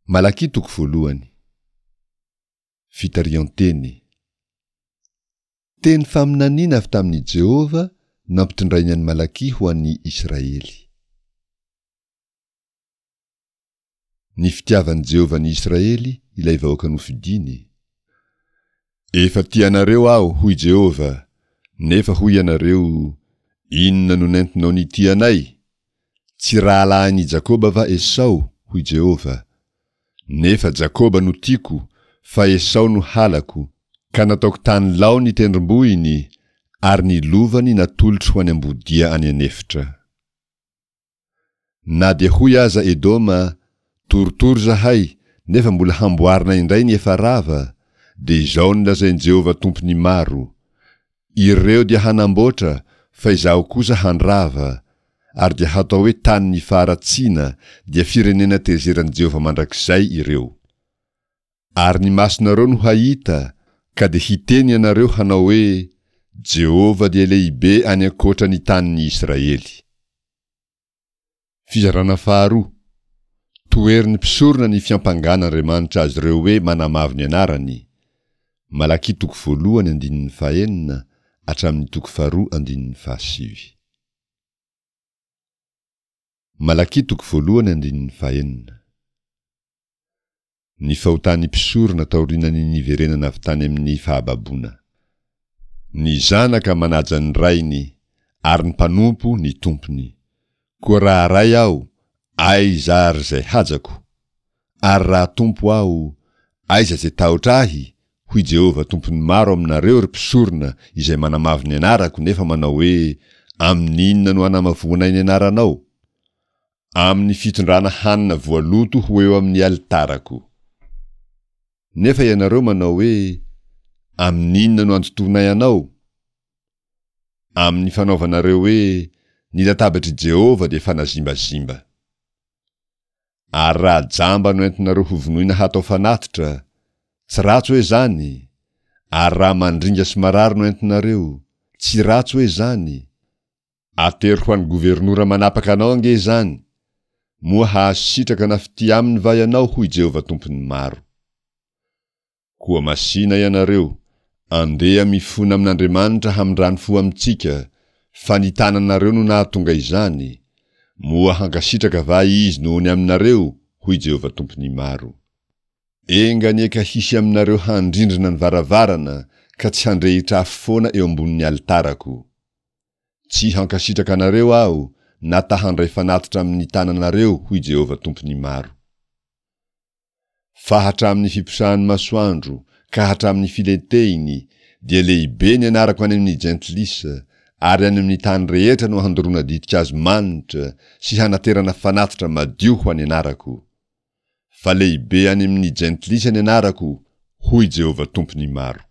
Malakia toko voalohany. Fitarihan-teny. Teny faminaniana avy tamin'i Jehovah nampitondrainy an'i Malakia ho an'ny Israely. Ny fitiavan'i Jehovah ny Israely, ilay vahoaka nofidiny. Efa tia anareo aho, hoy Jehovah, nefa hoy ianareo, Inona no nentinao nitia anay? Tsy rahalahin'i Jakoba va Esao? hoy Jehovah. Nefa Jakoba no tiako, fa Esao no halako, ka nataoko tany lao ny tendrombohiny, ary ny lovany natolotro ho any ambodia any an'efitra. Na dia hoy aza Edoma, Torotoro izahay, nefa mbola hamboarina indray ny efa rava, dia izao no lazain'i Jehovah Tompon'ny maro, Ireo dia hanamboatra, fa izaho kosa handrava, ary dia hatao hoe tanin'ny faharatsiana, dia firenena tezeran'i Jehovah mandrakizay ireo. Ary ny masonareo no hahita, ka dia hiteny ianareo hanao hoe, Jehovah dia lehibe any ankoatra ny tanin'ny Israely. Fizarana faharoa, Toherin'ny mpisorona ny fiampangana Andriamanitra azy ireo hoe manamavo ny anarany, Malakia toko voalohany andininy fahenina hatramin'ny toko faharoa andininy fahasivy. Malakia toko voalohany andininy fahenina. Ny fahotan'ny mpisorona taorianan'ny niverenana avy tany amin'ny fahababoana. Ny zanaka manaja ny rainy, ary ny mpanompo ny tompony. Koa raha ray aho, aiza àry izay hajako? Ary raha tompo aho, aiza izay tahotra ahy? Hoy Jehovah Tompon'ny maro aminareo, ry mpisorona izay manamavo ny anarako nefa manao hoe, Amin'inona no anamavoanay ny anaranao? Amin'ny fitondrana hanina voaloto ho eo amin'ny alitarako. Nefa ianareo manao hoe, Amin'inona no andotoanay anao? Amin'ny fanaovanareo hoe, Ny latabatr'i Jehovah dia fanazimbazimba. Ary raha jamba no entinareo hovonoina hatao fanatitra, tsy ratsy hoe izany? Ary raha mandringa sy marary no entinareo, tsy ratsy hoe izany? Atero ho an'ny governora manapaka anao ange izany! Moa hahazo sitraka na fitia aminy va ianao hoy Jehovah Tompon'ny maro. Koa masìna ianareo, andeha mifona amin'Andriamanitra hamindrany fo amintsika, fa ny tananareo no nahatonga izany, moa hankasitraka va Izy noho ny aminareo hoy Jehovah Tompon'ny maro. Enga anie ka hisy aminareo handrindrina ny varavarana ka tsy handrehitra afo foana eo ambonin'ny alitarako. Tsy hankasitraka anareo Aho na ta handray fanatitra amin'ny tananareo, hoy Jehovah Tompon'ny maro. Fa hatramin'ny fiposahan'ny masoandro ka hatramin'ny filentehiny dia lehibe ny anarako any amin'ny jentilisa, ary any amin'ny tany rehetra no handoroana ditin-kazo manitra sy hanaterana fanatitra madio ho an'ny anarako. Fa lehibe any amin'ny jentilisa ny anarako, hoy Jehovah Tompon'ny maro.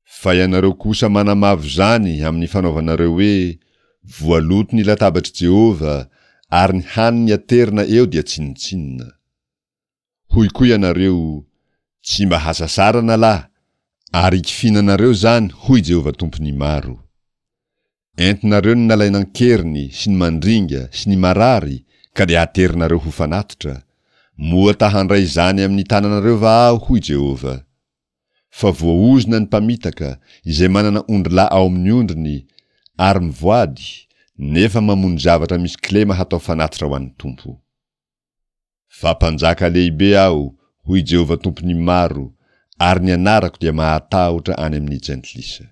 Fa ianareo kosa manamavo izany amin'ny fanaovanareo hoe, Voaloto ny latabatr'i Jehovah, ary ny haniny aterina eo dia tsinontsinona. Hoy koa ianareo, Tsy mba hasasarana lahy, ary ikifinanareo izany, hoy Jehovah Tompon'ny maro. Entinareo ny nalaina an-keriny sy ny mandringa sy ny marary ka dia aterinareo ho fanatitra, moa ta handray izany amin'ny tananareo va Aho, hoy Jehovah? Fa voaozona ny mpamitaka, izay manana ondrilahy ao amin'ny ondriny, ary mivoady, nefa mamono zavatra misy kilema hatao fanatitra ho an'ny Tompo. Fa Mpanjaka lehibe Aho, hoy Jehovah Tompon'ny maro, ary ny anarako dia mahatahotra any amin'ny jentilisa.